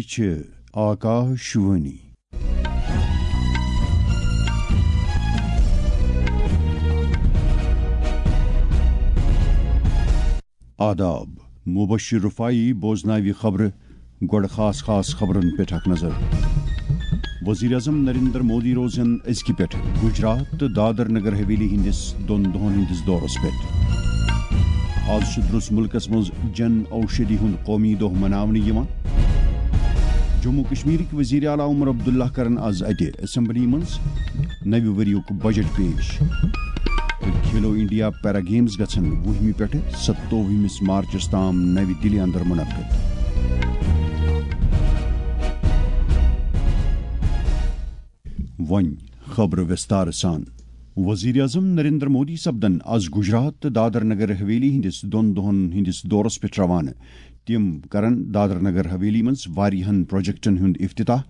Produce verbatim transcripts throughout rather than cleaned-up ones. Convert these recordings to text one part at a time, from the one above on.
یہِ چھِ آکاش وانی۔ آداب، مبشر رفاعی بوزناوِ خبرٕ۔ گۄڈٕ خاص خاص خبرن پٮ۪ٹھ اکھ نظر۔ وزیر اعظم نریندر مودی روزن أزکہِ پٮ۪ٹھ گجرات تہٕ دادر نگر حویلی ہٕنٛدِس دۄن دۄہن ہٕنٛدِس دورس پٮ۪ٹھ۔ آز چھُ درٛس مُلکس منٛز جن اوشدھی ہُنٛد قومی دۄہ مناونہٕ یِوان۔ جموں کشمیرٕکۍ وزیر اعلیٰ عمر عبداللہ کرن آز اتہِ اسمبلی منٛز نوِ ؤریُک بجٹ پیش۔ تہٕ کھیلو انڈیا پیرا گیمز گژھن وُہمہِ پٮ۪ٹھٕ ستووُہمِس مارچس تام نوِ دِلہِ اندر منعقد۔ وۄنۍ خبرٕ وِستار سان۔ وزیر اعظم نریندر مودی سپدن آز گجرات تہٕ دادر نگر حویلی ہٕنٛدِس دۄن دۄہن ہٕنٛدِس دورس پٮ۪ٹھ روانہٕ۔ تِم کرن دادر نگر حویلی منٛز واریاہن پروجیکٹن ہُنٛد افتتاح۔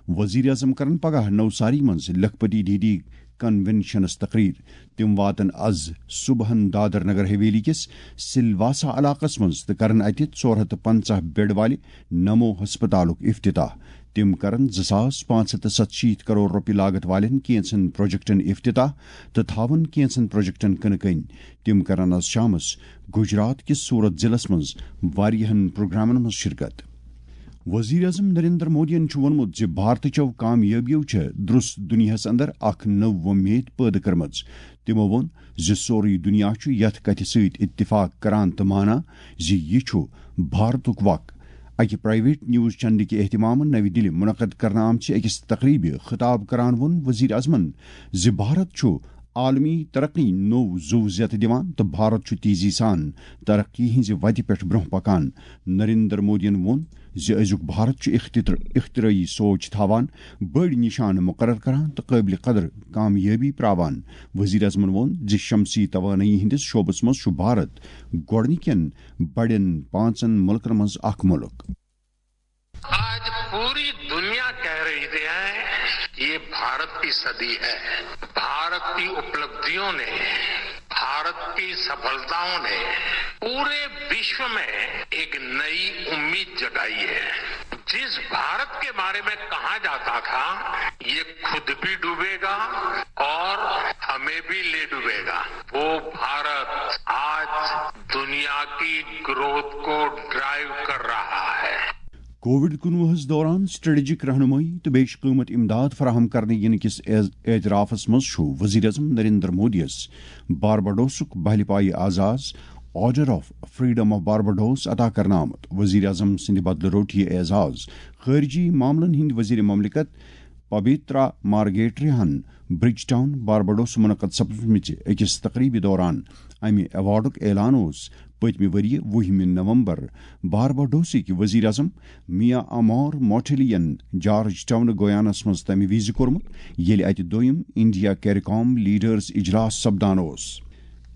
وزیر اعظم کرن پگاہ نوساری منٛز لکھپتی دیدی کنونشنس تقریر۔ تِم واتن از صبحن دادر نگر حویلی کِس سلواسا علاقس منٛز تہٕ کرن اتہِ ژور ہتھ تہٕ پنژاہ بیڈ والہِ نمو ہسپتالُک افتتاح۔ تِم کرن زٕ ساس پانٛژھ ہتھ تہٕ ستشیٖتھ کرور رۄپیہِ لاگت والٮ۪ن کینژن پروجیکٹن افتتاح تہٕ تھاون کینژن پروجیکٹن کٕنہٕ کٔنۍ۔ تِم کرن از شامس گجرات کِس سورت ضلعس منٛز واریاہن پروگرامن منٛز شرکت۔ وزیر اعظم نریندر مودیَن چھُ ووٚنمُت زِ بھارتٕچو کامیٲبِیو چھےٚ درٛس دُنیاہَس اندر اکھ نٔو وۄمید پٲدٕ کٔرمٕژ۔ تِمَو ووٚن زِ سورُے دُنیا چھُ یَتھ کَتھِ سۭتۍ اتفاق کران تہٕ مانان زِ یہِ چھُ بھارتُک وق۔ اَکہِ پرائیویٹ نیوز چینلہِ کہِ اہتمامہٕ نَوِ دِلہِ منعقد کرنہٕ آمژِ أکِس تقریبہِ خطاب کران ووٚن وزیر اعظمَن زِ بھارت چھُ عالمی ترقی نوٚو زُو زیتہٕ دِوان تہٕ بھارت چھُ تیزی سان ترقی ہٕنٛزِ وتہِ پٮ۪ٹھ برٛونٛہہ پکان۔ نریندر مودیَن ووٚن زِ أزیُک بھارت چھُ اختتر-، اختراعی سوچ تھاوان، بٔڑۍ نشانہٕ مقرر کران تہٕ قٲبلِ قدر کامیٲبی پراوان۔ وزیر اعظمَن ووٚن زِ شمسی توانٲیی ہٕنٛدِس شعبس منٛز چھُ بھارت گۄڈٕنِکٮ۪ن بڑٮ۪ن پانٛژن مُلکن منٛز اکھ مُلک۔ آج پوری دنیا کہہ رہی ہے، یہ بھارت کی صدی ہے۔ بھارت کی اپلبدھیوں نے، بھارت کی سفलताओं ने पूरे विश्व में एक नई उम्मीद जगाई है। जिस भारत के बारे में कहा जाता था, ये खुद भी डूबेगा और हमें भी ले डूबेगा, वो भारत आज दुनिया की ग्रोथ को ड्राइव कर रहा है। کووڈ کُنوُہس دوران سٹریٹجک رہنمائی تہٕ بیٚیہِ چھِ قۭمت امداد فراہم کرنہٕ یِنہٕ کِس اعز-، اعترافس منٛز چھُ وزیر اعظم نریندر مودیَس بارباڈوسُک بہلہِ پایہِ اعزاز order of freedom of Barbados عطا کرنہٕ آمُت۔ وزیر اعظم سٕنٛدِ بدلہٕ روٚٹ یہِ اعزاز خارجی معاملن ہٕنٛدۍ وزیر مملکت پبیترا مارگیٹریہن برج ٹاؤن بارباڈوس منعقد سپزمٕژِ أکِس تقریبہِ دوران۔ امہِ ایوارڈُک اعلان اوس پٔتمہِ ؤرۍ یہِ وُہمہِ نومبر بارباڈوسٕکۍ وزیر اعظم میا امور موٹھلیَن جارج ٹاؤن گویانس منٛز تمہِ وِزِ کوٚرمُت، ییٚلہِ اتہِ دوٚیم انڈیا کیریکام لیڈرز اجلاس سپدان اوس۔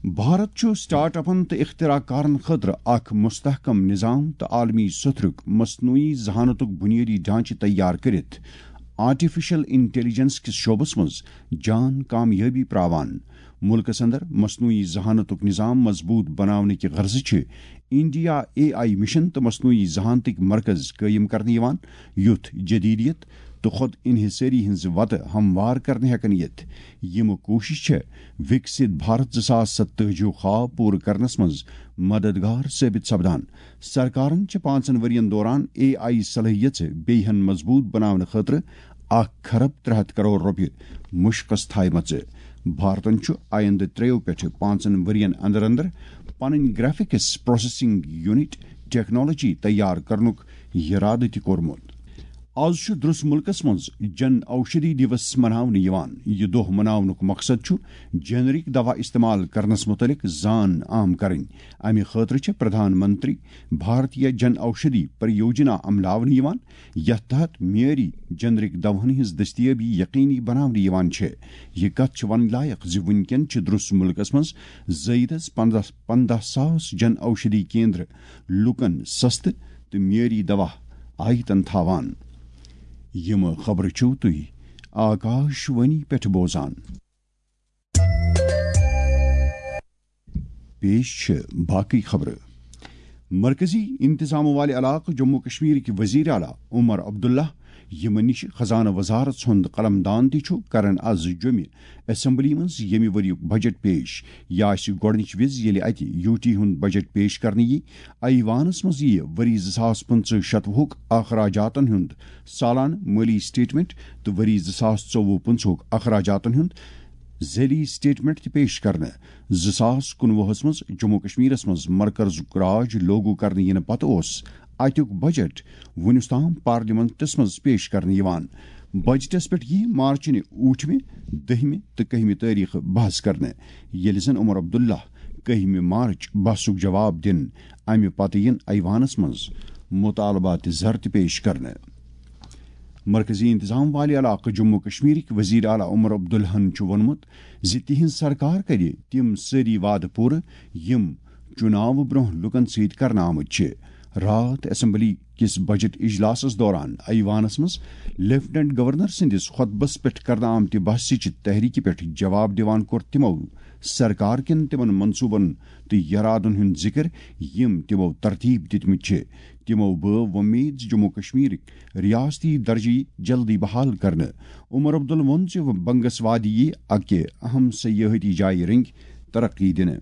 بھارت چھُ سٹارٹ اپن تہٕ اختراع کارن خٲطرٕ اکھ مستحکم نظام تہٕ عالمی سطحُک مصنوعی ذہانتُک بنیٲدی ڈھانچہٕ تیار کٔرِتھ آرٹیفیشل انٹیلیجنس کِس شعبس منٛز جان کامیٲبی پراوان۔ مُلکس اندر مصنوعی ذہانتُک نظام مضبوط بناونہٕ کہِ غرضہٕ چھِ انڈیا اے آئی مشن تہٕ مصنوعی ذہانتٕکۍ مرکز قٲیِم کرنہٕ یِوان، یُتھ جدیدیت تہٕ خود انحصٲری ہٕنٛز وتہٕ ہموار کرنہٕ ہٮ۪کن یِتھ۔ یِم کوٗشش چھےٚ وِکسِت بھارت زٕ ساس ستٲجی ہُک خواب پوٗرٕ کرنس منٛز مددگار ثٲبت سپدان۔ سرکارن چھِ پانٛژن ؤرین دوران اے آئی صلٲحیژٕ بیٚیہِ ہن مضبوط بناونہٕ خٲطرٕ اکھ کھرب ترٛےٚ ہتھ کرور رۄپیہِ مُشکس تھایمژٕ۔ بھارتن چھُ آیندٕ ترٛیٚیو پٮ۪ٹھٕ پانٛژن ؤرین اندر اندر پنٕنۍ گرافکس پروسیسنگ یونٹ ٹیکنالوجی تیار کرنُک یرادٕ تہِ کوٚرمُت۔ آز چھُ درٛس مُلکس منٛز جن اوشدھی دیوس مناونہٕ یِوان۔ یہِ دۄہ مناونُک مقصد چھُ جنرک دوا استعمال کرنس مُتعلق زان عام کرٕنۍ۔ امہِ خٲطرٕ چھِ پردھان منتری بھارتیہ جن اوشدھی پریوجنا عملاونہٕ یِوان، یتھ تحت معیٲری جنرک دواہن ہٕنٛز دستیٲبی یقینی بناونہٕ یِوان چھِ۔ یہِ کتھ چھِ ونٕنۍ لایق زِ وُنکٮ۪ن چھِ درٛس مُلکس منٛز زٲیدس پنٛداہ، پنٛداہ ساس جن اوشدھی کیندر لوٗکن سستہٕ تہٕ معیٲری دوا آیتن تھاوان۔ یِم خبرٕ چھِو تُہۍ آکاش وانی پٮ۪ٹھ بوزان۔ پیش چھِ باقٕے خبرٕ۔ مرکزی انتظام والہِ علاقہٕ جموں کشمیرٕکۍ وزیر اعلیٰ عمر عبداللہ، یِمن نِش خزانہٕ وزارت سُنٛد قلم دان تہِ چھُ، کرن از جوٚمہِ اسمبلی منٛز ییٚمہِ ؤریُک بجٹ پیش۔ یہِ آسہِ گۄڈٕنِچ وِزِ ییٚلہِ اتہِ یوٗ ٹی ہُنٛد بجٹ پیش کرنہٕ یِیہِ۔ ایوانس منٛز یِیہِ ؤری زٕ ساس پٕنٛژٕہ شتوُہُک اخراجاتن ہُنٛد سالانہٕ مٲلی سٹیٹمنٹ تہٕ ؤری زٕ ساس ژوٚوُہ پٕنٛژٕہُک اخراجاتن ہُنٛد ذیلی سٹیٹمنٹ تہِ پیش کرنہٕ۔ زٕ ساس کُنوُہس منٛز جموں کشمیرس منٛز مرکزُک راج لوگو کرنہٕ یِنہٕ پتہٕ اوس اتیُک بجٹ وُنیُس تام پارلیمنٹس منٛز پیش کرنہٕ یِوان۔ بجٹس پٮ۪ٹھ یِیہِ مارچنہِ ٲٹھمہِ، دٔہمہِ تہٕ کٔہمہِ تٲریخہٕ بحث کرنہٕ، ییٚلہِ زن عمر عبداللہ کٔہمہِ مارچ بحثُک جواب دِن۔ امہِ پتہٕ یِن ایوانس منٛز مطالبات زر تہِ پیش کرنہٕ۔ مرکزی انتظام والہِ علاقہٕ جموں کشمیرٕکۍ وزیر اعلیٰ عمر عبداللہن چھُ ووٚنمُت زِ تِہنٛز سرکار کرِ تِم سٲری وعدٕ پوٗرٕ، یِم چُناوٕ برٛونٛہہ لوٗکن سۭتۍ کرنہٕ آمٕتۍ چھِ۔ راتھ اسمبلی کِس بجٹ اجلاسس دوران ایوانس منٛز لیفٹیننٹ گورنر سٕنٛدِس خطبس پٮ۪ٹھ کرنہٕ آمتہِ بحثٕچہِ تحریکہِ پٮ۪ٹھ جواب دِوان کوٚر تِمو سرکار کٮ۪ن تِمن منصوٗبن تہٕ یرادن ہُنٛد ذِکر، یِم تِمو ترتیب دِتمٕتۍ چھِ۔ تِمو بٲو وۄمید زِ جموں کشمیرٕکۍ ریاستی درجہٕ یی جلدی بحال کرنہٕ۔ عمر عبدل ووٚن زِ بنگس وادی یی اکہِ اہم سیاحتی جایہِ رٔنگۍ ترقی دِنہٕ۔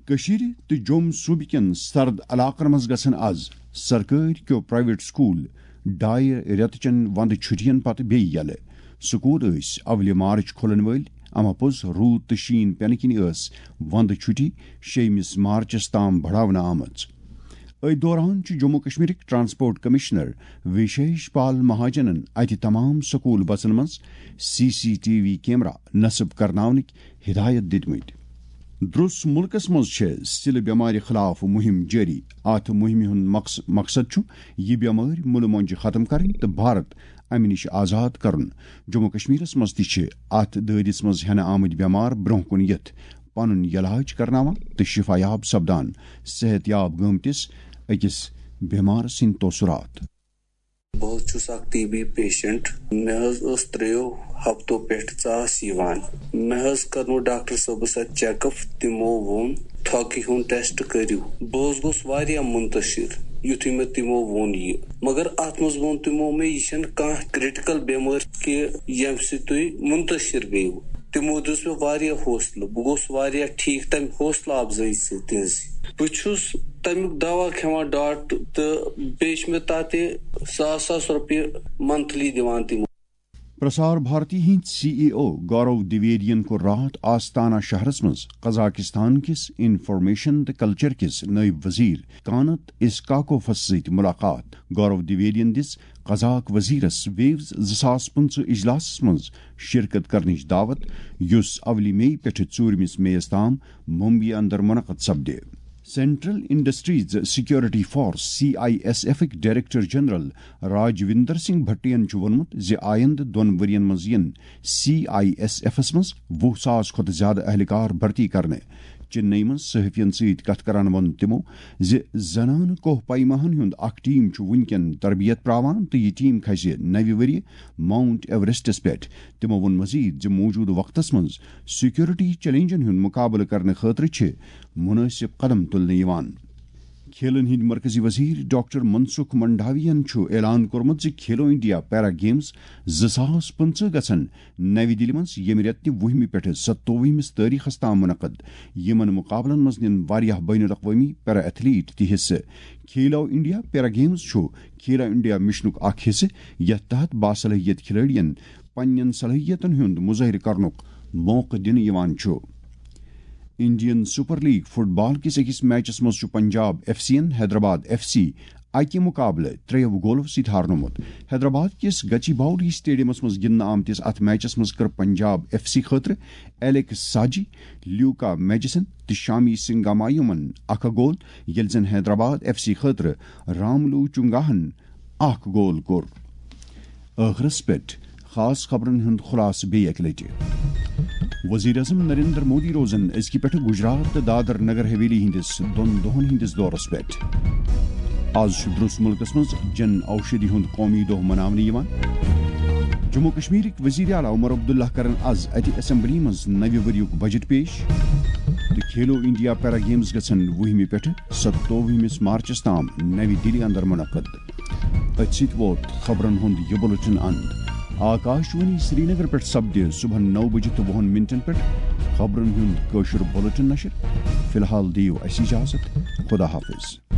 کٔشیٖرِ تہٕ جوٚم صوٗبہٕ کٮ۪ن سرد علاقن منٛز گژھن از سرکٲرۍ کیو پرائیویٹ سکوٗل ڈایہِ رٮ۪تہٕ چٮ۪ن ونٛدٕ چھُٹین پتہٕ بیٚیہِ یلہٕ۔ سکوٗل ٲسۍ اولہِ مارچ کھُلن وٲلۍ، اما پوٚز روٗد تہٕ شیٖن پٮ۪نہٕ کِنۍ ٲس ونٛدٕ چھُٹی شیٚیمِس مارچس تام بڑاونہٕ آمٕژ۔ أتھۍ دوران چھُ جموں کشمیرٕکۍ ٹرانسپورٹ کمشنر وشیش پال مہاجنن اتہِ تمام سکوٗل بسن منٛز C C T V camera نصب کرناونٕکۍ ہدایت دِتمٕتۍ۔ درٛس مُلکس منٛز چھےٚ سِلہٕ بٮ۪مارِ خلاف مُہِم جٲری۔ اتھ مُہِمہِ ہُنٛد مقص-، مقصد چھُ یہِ بٮ۪مٲرۍ مُلہٕ مۄنٛجہِ ختم کرٕنۍ تہٕ بھارت امہِ نِش آزاد کرُن۔ جموں کشمیرس منٛز تہِ چھِ اتھ دٲدِس منٛز ہٮ۪نہٕ آمٕتۍ بٮ۪مار برٛونٛہہ کُن یِتھ پنُن یلاج کرناوان تہٕ شفا یاب سپدان۔ صحت یاب گٲمتِس أکِس بٮ۪مار سٕنٛدۍ تٲثرات۔ بہٕ حظ چھُس اکھ ٹی بی پیشنٹ۔ مےٚ حظ ٲس ترٛیو ہفتو پٮ۪ٹھ ژاس یِوان۔ مےٚ حظ کرنو ڈاکٹر صٲبس اتہِ چیک اپ۔ تِمو ووٚن، تھۄکہِ ہُنٛد ٹیسٹ کٔرِو۔ بہٕ حظ گوٚوس واریاہ منتشر، یُتھُے مےٚ تِمو ووٚن یہِ۔ مگر اتھ منٛز ووٚن تِمو مےٚ، یہِ چھنہٕ کانٛہہ کریٹیکل بٮ۪مٲرۍ کہِ ییٚمہِ سۭتۍ تُہۍ منتشر گٔیِو۔ تِمو دِژ مےٚ واریاہ حوصلہٕ۔ بہٕ گوٚوس واریاہ ٹھیٖک تمہِ حوصلہٕ افزٲیی سۭتۍ تِہنٛزِ۔ بہٕ چھُس تمیُک دوا کھٮ۪وان ڈاٹ تہٕ بیٚیہِ چھِ مےٚ تتہِ ساس ساس رۄپیہِ منتھلی دِوان تِم۔ پرسار بھارتی ہٕنٛدۍ سی ای او گورو دویدین کوٚر راتھ آستانہ شہرس منٛز قزاقستان کِس انفارمیشن تہٕ کلچر کِس نٲیِب وزیر کانت اسکاکوفس سۭتۍ ملاقات۔ گورو دویدین دِژ قزاق وزیرس ویوز زٕ ساس پٕنٛژٕہ اجلاسس منٛز شرکت کرنٕچ دعوت، یُس اولہِ مئی پٮ۪ٹھٕ ژوٗرمِس مئیس تام ممبئی اندر منعقد سپدِ۔ Central industries security force, C I S ایفٕکۍ ڈائریکٹر جنرل راجویندر سنگھ بھٹین چھُ ووٚنمُت زِ آیندٕ دۄن ؤرین منٛز یِن سی آئی ایس ایفس منٛز وُہ ساس کھۄتہٕ زیادٕ اہلکار بھرتی کرنہٕ۔ چنئی منٛز صحافین سۭتۍ کتھ کران ووٚن تِمو زِ زنانہٕ کوہ پیماہن ہُنٛد اکھ ٹیم چھُ وُنکٮ۪ن تربیت پراوان تہٕ یہِ ٹیم کھسہِ نوِ ؤریہِ ماؤنٹ ایوریسٹس پٮ۪ٹھ۔ تِمو ووٚن مزید زِ موجودٕ وقتس منٛز سیکورٹی چیلنجن ہُنٛد مقابلہٕ کرنہٕ خٲطرٕ چھِ مناسب قدم تُلنہٕ یِوان۔ کھیلن ہٕنٛدۍ مرکزی وزیر ڈاکٹر منسکھ منڈاویَن چھُ اعلان کوٚرمُت زِ کھیلو انڈیا پیرا گیمز زٕ ساس پٕنٛژٕہ گژھن نَوِ دِلہِ منٛز ییٚمہِ رٮ۪تہٕ وُہمہِ پٮ۪ٹھٕ ستووُہمِس تٲریخس تام منعقد۔ یِمن مقابلن منٛز نِن واریاہ بین الاقوٲمی پیرا ایتھلیٹ تہِ حصہٕ۔ کھیلو انڈیا پیرا گیمز چھُ کھیلو انڈیا مشنُک اکھ حصہٕ، یتھ تحت باصلاحیت کھلٲڑین پننٮ۪ن صلٲحیتن ہُنٛد مظٲہرٕ کرنُک موقعہٕ دِنہٕ یِوان چھُ۔ انڈین سپر لیگ فٹ بال کِس أکِس میچس منٛز چھُ پنجاب ایف سی یَن حیدرآباد ایف سی اَکہِ مقابلہٕ ترٛیٚیو گولو سۭتۍ ہارنومُت۔ حیدرآباد کِس گچی باؤلی اسٹیڈیمس منٛز گِنٛدنہٕ آمتِس اَتھ میچس منٛز کٔر پنجاب ایف سی خٲطرٕ ایلیکس ساجی، لیوکا میجسن تہٕ شامی سنگامایومن اکھ اکھ گول، ییٚلہِ زن حیدرآباد ایف سی خٲطرٕ راملو چنگاہن اکھ گول کوٚر۔ ٲخرس پٮ۪ٹھ خاص خبرن ہُنٛد خلاصہٕ بیٚیہِ اکہِ لٹہِ۔ وزیر اعظم نریندر مودی روزن أزکہِ پٮ۪ٹھٕ گجرات تہٕ دادر نگر حویلی ہٕنٛدِس دۄن دۄہن ہٕنٛدِس دورس پٮ۪ٹھ۔ آز چھُ درٛس مُلکس منٛز جن اوشدھی ہُنٛد قومی دۄہ مناونہٕ یِوان۔ جموں کشمیرٕکۍ وزیر اعلیٰ عمر عبداللہ کرن از اتہِ اسمبلی منٛز نوِ ؤریُک بجٹ پیش۔ تہٕ کھیلو انڈیا پیرا گیمز گژھن وُہمہِ پٮ۪ٹھٕ ستووُہمِس مارچس تام نوِ دِلہِ اندر منعقد۔ أتھۍ سۭتۍ ووت خبرن ہُنٛد یہِ بُلٹن اند۔ آکاش وانی سرینگر پٮ۪ٹھ سپدِ صبحن نو بجہِ تہٕ وُہن منٹن پٮ۪ٹھ خبرن ہُنٛد کٲشُر بُلٹن نشر۔ فی الحال دِیِو اَسہِ اجازت۔ خدا حافظ۔